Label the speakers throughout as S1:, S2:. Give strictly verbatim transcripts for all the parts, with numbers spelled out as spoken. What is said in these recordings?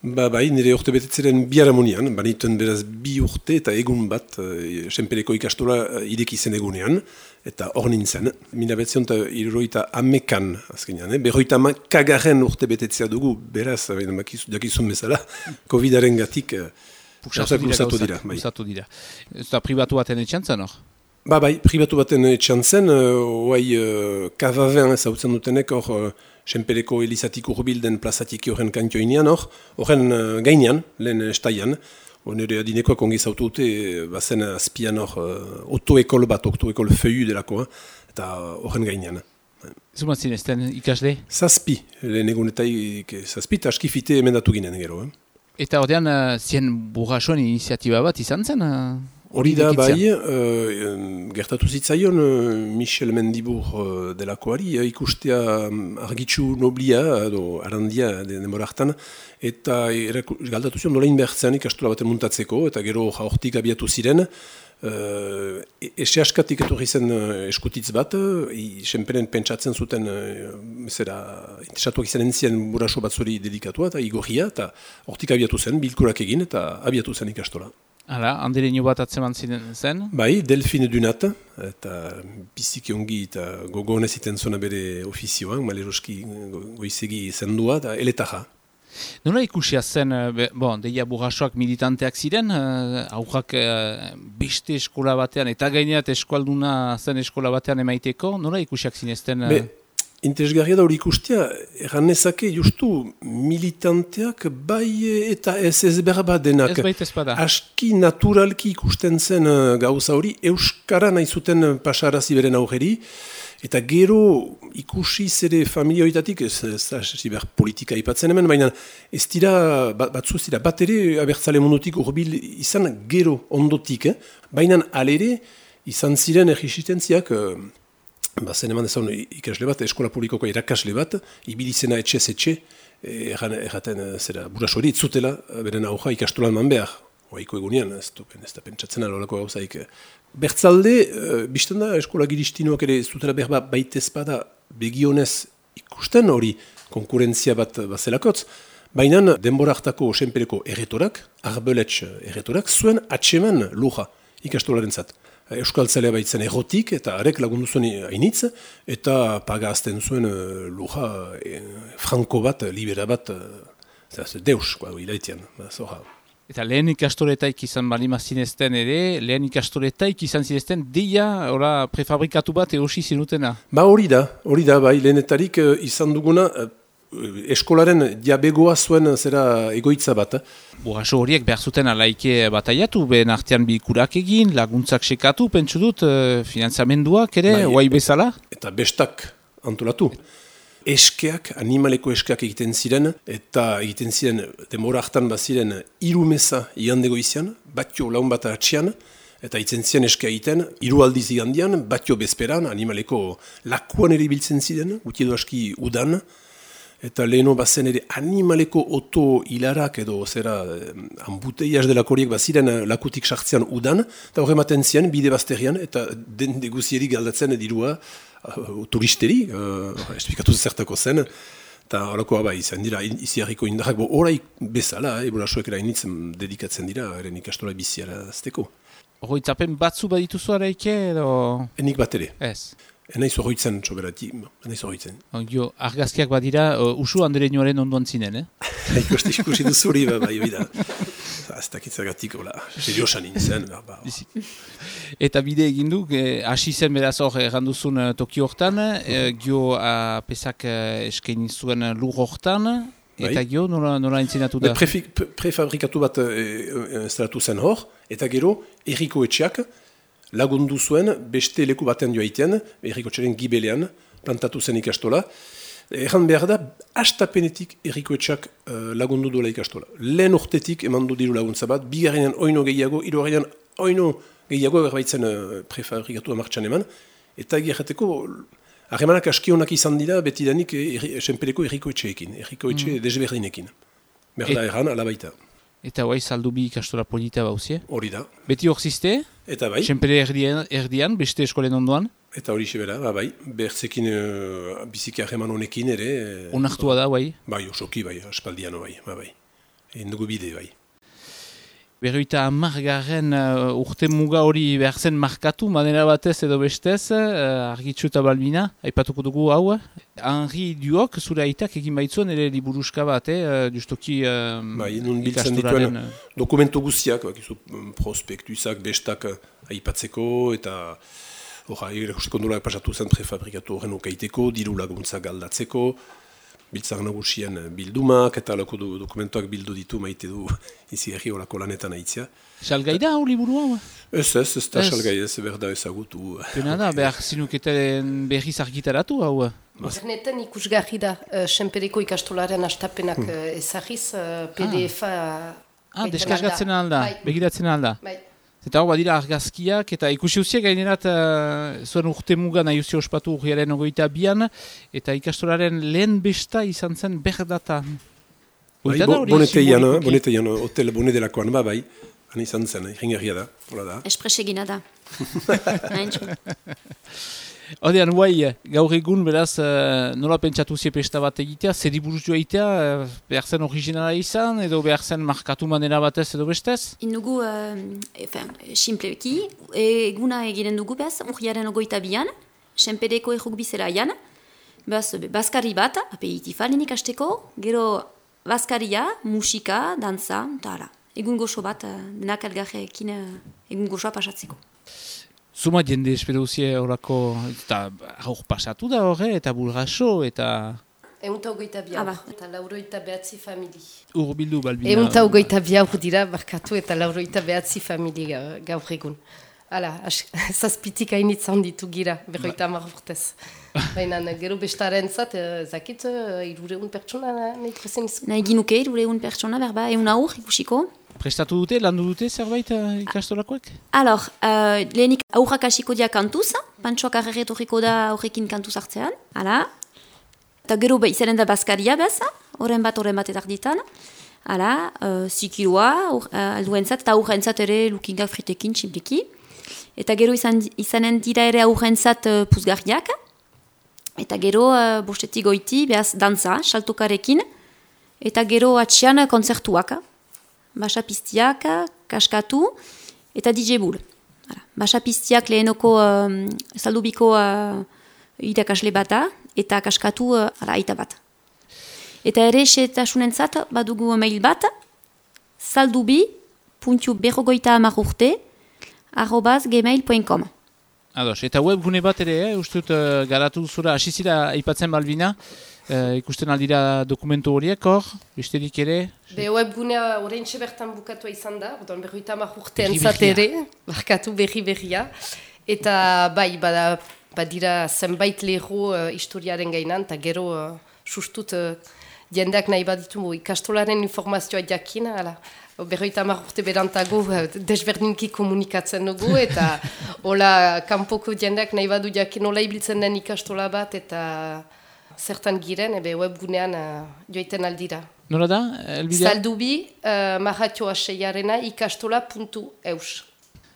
S1: Ba, bai, nire urte betetzeren biharamonian, banituen beraz bi urte eta egun bat e, Senpereko ikastola ireki zen egunean, eta hor nintzen. Mila betzion eta irroita amekan, azkenean, eh? Berroita amakagaren urte betetzea dugu, beraz, dakizun bezala, covidaren gatik
S2: Pusatu dira. Pusatu dira. Ez da pribatu baten etxantzen hor?
S1: Ba, bai, pribatu baten etxantzen, oai uh, Kavaven ezautzen dutenek hor uh, Senpereko Elizatik urbilden plazatiki horren kantioinean hor, horren uh, gainean, lehen estaian, nire adinekoak ongi zautu dute, bazen azpian hor uh, otoekol bat, otoekol feuillu delakoa, eta horren gainean.
S2: Zuma zinezten ikasle?
S1: Zazpi, lehen egunetaik zazpi, eta askifite emendatu ginen gero. Eh?
S2: Eta ordean, uh, zien burrasoen iniziatiba bat izan zen? Uh...
S1: Hori da, bai, uh, gertatu zitzaion uh, Michel Mendibur uh, delakoari, uh, ikustea um, argitxu noblia, edo arandia denbora hartan, eta galdatu zion nola inbertzean ikastola baten muntatzeko, eta gero hortik abiatu ziren, uh, ese askatik etorri zen uh, eskutitz bat, uh, senperen pentsatzen zuten, uh, zera, interesatuak izan entzien buraso batzuri dedikatua, eta igorria, eta hortik abiatu zen, bilkurak egin, eta abiatu zen ikastola.
S2: Hala, handireño bat atzeman zen?
S1: Bai, Delfine Dunat, eta biziki ongi eta gogonez iten zona bere ofizioan, maleroski goizegi zendua, eta eletaja.
S2: Nola ikusia zen, be, bon, deia burrasoak militanteak ziren, uh, aurrak uh, beste eskola batean, eta gaineat eskualduna zen eskola batean emaiteko, nola ikusiak zinezten? Uh...
S1: Interesgarria da hori ikustia, erran nezake justu militanteak bai eta ez ez berba denak.
S2: Ez baita ezpada.
S1: Aski naturalki ikusten zen gauza hori, euskara nahi zuten pasarazi beren aurreri, eta gero ikusi zere familia horitatik, ez ziber politika ipatzen hemen, baina ez dira, batzu ez dira, bat ere abertzale mundutik urbil izan gero ondotik, eh? Baina alere izan ziren erresistentziak, Ba, zen eman ezan ikasle bat, eskola publikoko irakasle bat, ibilizena etxez etxe, erraten zera buraso hori itzutela, beren auja ikastolan man behar. Oaiko egunean, ez da pentsatzen alolako gauzaik. Bertzalde, bizten da, eskola giristinoak ere zutela behar bat baitez bada begionez ikusten hori konkurentzia bat bazelakotz, baina denbora hartako Senpereko erretorak, Arbeletx erretorak, zuen atseman luja ikastolaren zat. Euskaltzalea baitzen errotik, eta arek lagundu zuen hainitz, eta paga azten zuen uh, luja e, franko bat, libera bat, uh, deus, hilaitian.
S2: Eta lehen ikastoletaik izan balima zinezten ere, lehen ikastoletaik izan zinezten, deia ora, prefabrikatu bat erosi zinutena? Ba
S1: hori da, hori da, bai, lehenetarik uh, izan duguna, uh, eskolaren diabegoa zuen zera egoitza bat.
S2: Burraso horiek behar zuten alaike bataiatu, behen artean bilkurak egin, laguntzak sekatu, pentsu dut, uh, finantzamenduak ere, bai, oai bezala?
S1: Eta bestak antolatu. Eskeak, animaleko eskeak egiten ziren, eta egiten ziren, demora hartan baziren, hiru meza igandego izan, batio laun bat atxian, eta itzen ziren eskea egiten, hiru aldiz igandian, batio bezperan, animaleko lakuan ere biltzen ziren, guti edo aski udan, eta leheno bazen ere animaleko oto hilarak edo zera ambuteiaz delakoriek baziren lakutik sartzean udan, eta horre maten ziren bide bazterian, eta den deguzieri galdatzen dirua uh, turisteri, uh, esplikatu zertako zen, eta horako aba izan dira, iziarriko indarrak, bo horai bezala, e, burasuek erainitzen dedikatzen dira, eren ikastola biziara azteko.
S2: Horroitzapen batzu badituzu araike edo?
S1: Enik bat ere.
S2: Ez.
S1: Enaiz horroitzen, txoberati, enaiz horroitzen.
S2: Jo, argazkiak badira, uh, usu Andereñoaren ondoan zinen, eh?
S1: Ikusti ikusi duzuri, ba, bai, bida. Ez dakitzagatik, hola, seriosan nintzen, ba, ba.
S2: Eta bide egin du, hasi eh, zen beraz hor erranduzun uh, Tokio hortan, eh, gio uh, pesak uh, eskaini zuen lur hortan, eta bai. Gio nola, nola entzinatu da?
S1: Prefabrikatu bat uh, instalatu zen hor, eta gero, erriko etxeak, lagundu zuen, beste leku baten joaiten, errikotxaren gibelean, plantatu zen ikastola. Erran behar da, hastapenetik errikoetxak uh, lagundu duela ikastola. Lehen urtetik eman du diru laguntza bat, bigarrenean oino gehiago, hirugarrenean oino gehiago erbaitzen uh, prefabrikatu amartxan eman, eta egiarreteko, harremanak askionak izan dira, betidanik Senpereko errikoetxeekin, errikoetxe mm. desberdinekin. Berda erran, alabaita.
S2: Eta guai saldu bi ikastola polita bauzie?
S1: Hori da.
S2: Beti hor ziste?
S1: Eta bai.
S2: Senpere erdian, erdian, beste eskolen ondoan?
S1: Eta hori sebera, ba, bai. Bertzekin uh, biziki harreman honekin ere.
S2: Onartua da, bai?
S1: Bai, osoki, bai, aspaldiano, bai, ba, bai. egin dugu bide, bai.
S2: Berroita amargarren uh, urte muga hori behar zen markatu, manera batez edo bestez, uh, Argitxu eta Balbina, aipatuko dugu hau. Henri Duok, zure aitak egin baitzuen ere liburuska bat, eh? justoki uh,
S1: bai, nun biltzen dituen dokumentu guztiak, bakizu prospektuizak, bestak aipatzeko, eta horra, erakusteko nolak pasatu zen prefabrikatu horren okaiteko, diru laguntzak aldatzeko, biltzak nagusien bildumak, eta alako du, dokumentuak bildu ditu maite du izi erri horako lanetan aitzia.
S2: Salgai da hau liburu hau?
S1: Ez ez, ez da salgai ez, berda ezagutu.
S2: Pena da, behar zinuketen berriz argitaratu hau?
S3: Internetan ikusgarri da, uh, Senpereko ikastolaren astapenak hmm. uh, ezagiz, uh, P D F-a...
S2: Ah, deskargatzen alda, begiratzen alda.
S3: Bai.
S2: Eta hau badira argazkiak, eta ikusi uziak gainerat uh, zuen urte muga nahi uzi ospatu urriaren ogoita bian, eta ikastolaren lehen besta izan zen berdata.
S1: Bai, bo, boneteian, boneteian, hotel bone delakoan ba, bai, han izan zen, iringarria da, hola da.
S4: Espresegina da.
S2: Odean, guai, gaur egun, beraz, uh, nola pentsatu ziepesta bat egitea, zeri buruz joa egitea, uh, behar zen originala izan, edo behar zen markatu manera batez edo bestez?
S4: Indugu, uh, simpleki, eguna egiten dugu behaz, urriaren ogoita bian, Senpereko errukbizera aian, behaz, baskari bat, aperitif alen ikasteko, gero baskaria, musika, dantza, eta hala. Egun goxo bat, uh, denak elgarrekin uh, egun goxoa pasatzeko.
S2: Zuma jende espero uzie horako, eta hor pasatu da horre, eta bulgaso, eta...
S3: Eunta ogoita bia, ah, eta lauroita behatzi famili.
S2: Urbildu, Balbina.
S3: Eunta ogoita bia hor dira, barkatu, eta lauroita behatzi famili gaur egun. Hala, zazpitik hainitzan ditu gira, berroita hamar urtez. Baina gero bestaren zat, zakit, irureun pertsona nahi prezen izu?
S4: Nahi ginuke, irureun pertsona, berba, eun aur ikusiko.
S2: Prestatu dute, landu dute zerbait uh, ikastolakoek?
S4: Alors, uh, lehenik aurrak hasiko dia kantuz, pantsoak arreretorriko da aurrekin kantuz hartzean, hala. Eta gero izanen da baskaria bez, horren bat, horren bat etarditan. Hala, uh, zikiloa, uh, alduentzat, eta aurrentzat ere lukingak fritekin, txipliki. Eta gero izan, izanen dira ere aurrentzat uh, puzgarriak. Eta gero, uh, bostetik goiti, behaz, dantza, saltokarekin. Eta gero atxian kontzertuak. Basapiztiak, kaskatu, eta D J Bull. Basapiztiak lehenoko um, saldubiko uh, irakasle bata, eta kaskatu uh, aita bat. Eta ere, setasunentzat, badugu mail bat, saldubi puntu berrogoita amarurte, arrobaz gmail puntu com.
S2: Ados, eta webgune bat ere, eh, ustut uh, garatu zura, asizira aipatzen Balbina, uh, ikusten aldira dokumentu horiek hor, besterik ere?
S3: Be webgunea orain bertan bukatua izan da, odon berroita hamar urte entzatere, barkatu berri berria, eta bai, bada, badira zenbait leho uh, historiaren gainan, eta gero uh, sustut uh, jendeak nahi baditu ikastolaren informazioa jakin, ala. Berroita hamar urte berantago desberdinki komunikatzen dugu, eta hola kanpoko jendeak nahi badu jakin hola ibiltzen den ikastola bat, eta zertan giren, ebe webgunean uh, joiten aldira.
S2: Nola da, Elbidea?
S3: Saldubi, uh, marratioa seiarena, ikastola puntu eus.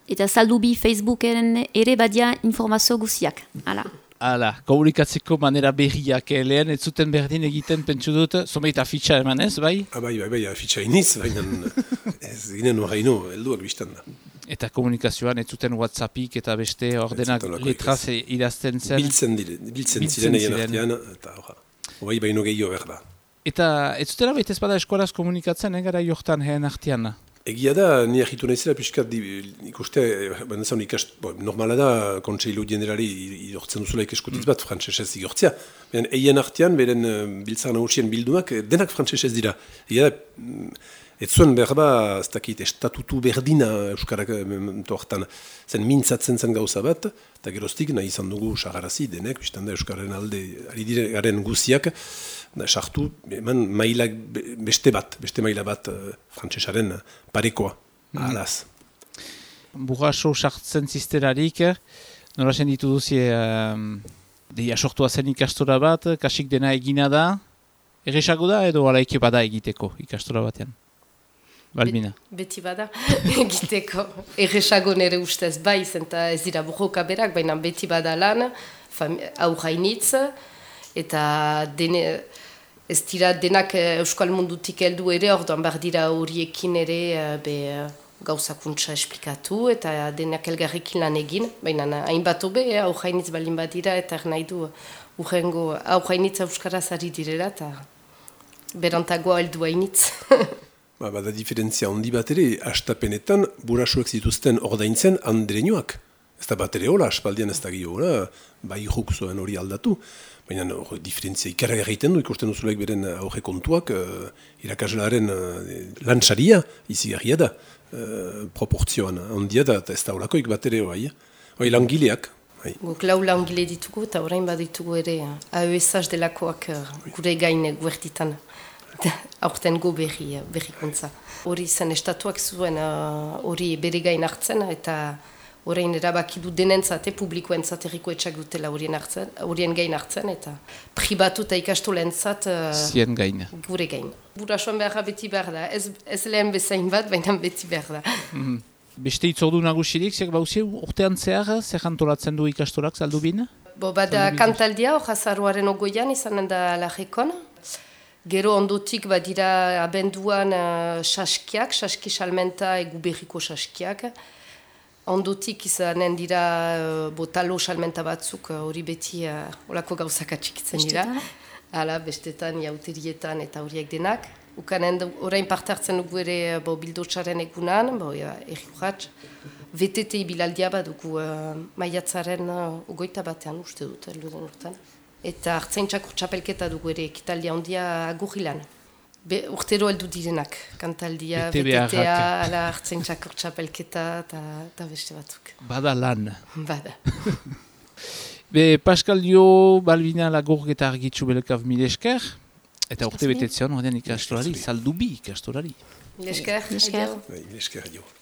S4: Eta saldubi Facebookeren ere badia informazio guziak, hala.
S2: Hala, komunikatzeko manera berriak, eh, lehen ez zuten berdin egiten pentsu dut, zomeit afitxa eman ez, bai?
S1: Ah, bai, bai, bai, afitxa iniz, baina ez ginen horreino, helduak biztan da.
S2: Eta komunikazioan ez zuten WhatsAppik eta beste ordenak letraz idazten zen.
S1: Biltzen, dire, biltzen, biltzen ziren egin artean, eta horra, bai baino gehiago behar da.
S2: Eta ez zutela baita ez bada eskolaz komunikatzen, egara jortan heen artean?
S1: Egia da, ni ahitu nahizela piskat ikuste, bandazan ikast, bo, normala da, kontseilu generali idortzen duzula ikaskutitz bat, frantsesez igortzea. Baina eien artean, beren biltzar nagusien bildumak, denak frantsesez dira. Egia da, ez zuen behar ba, ez dakit, estatutu berdina Euskarak hartan, zen mintzatzen zen gauza bat, eta geroztik nahi izan dugu sagarazi denek, biztan da Euskararen alde, ari dire garen guziak, sartu, eman mailak beste bat, beste maila bat uh, frantsesaren parekoa, ahalaz.
S2: Burraso sartzen zizterarik, nola zen ditu duzie, um, deia sortua zen ikastora bat, kasik dena egina da, erresago da edo alaike bada egiteko ikastora batean? Balbina.
S3: Bet, beti bada egiteko, erresago nere ustez bai, zenta ez dira burroka berak, baina beti bada lan, aurrainitz, eta dene... ez dira denak euskal mundutik heldu ere, orduan behar dira horiekin ere be, gauzakuntza esplikatu eta denak elgarrekin lan egin, baina hainbat hobe, aujainitz balin badira eta nahi du urrengo aujainitz euskaraz ari direla eta berantagoa heldu hainitz.
S1: Ba, bada diferentzia handi bat ere, astapenetan burasuek zituzten ordaintzen andreinoak. Ez da bat ere hola, aspaldian ez da gio hola, bai juk zuen hori aldatu. Baina or, diferentzia ikarra egiten du, ikusten duzulek beren aurre kontuak, uh, irakaslaren uh, lantsaria izigarria da, uh, proportzioan handia da, eta ez da holakoik bat ere hoai. Hoi langileak.
S3: Guk lau langile ditugu eta orain baditugu ere A E S H delakoak gure gain guertitan. Aurten go berri, berrikuntza. Hori zen estatuak zuen hori uh, bere gain hartzen eta orain erabaki du denentzat, publikoentzat erriko etxak dutela horien, hartzen, horien gain hartzen eta pribatu eta ikastolentzat uh,
S2: zien gain.
S3: Gure gain. Burasoan beharra beti behar da, ez, ez lehen bezain bat, baina beti behar da.
S2: Mm. Beste itzordu nagusirik, zer bauzi urtean zehar, zer jantolatzen du ikastorak zaldubin?
S3: Bo, bada kantaldia, horazaruaren ogoian izanen da lajekon. Gero ondotik badira abenduan uh, saskiak, saski salmenta egu berriko saskiak. Ondotik izanen dira uh, botalo salmenta batzuk hori uh, beti uh, olako gauzak atxikitzen dira. Hala, bestetan, jauterietan eta horiek denak. Ukanen orain parte hartzen dugu ere bo, bildotsaren egunan, bo, ja, erri urratx. V T T bilaldia badugu uh, maiatzaren uh, ogoita batean uste dut, elduden urtean. Eta hartzaintxak urtsapelketa dugu ere, ekitaldia ondia agurrilan. Urtero heldu direnak, kantaldia, V T T-a, hartzaintxak urtsapelketa eta beste batzuk.
S2: Bada lan.
S3: Bada.
S2: Be, Pascal Dio, Balbina Lagorgeta argitzu belekav mil esker, eta urte betetzean, horrean ikastolari, saldubi ikastolari.
S3: Mil esker.
S4: Mil esker.
S1: Mil esker,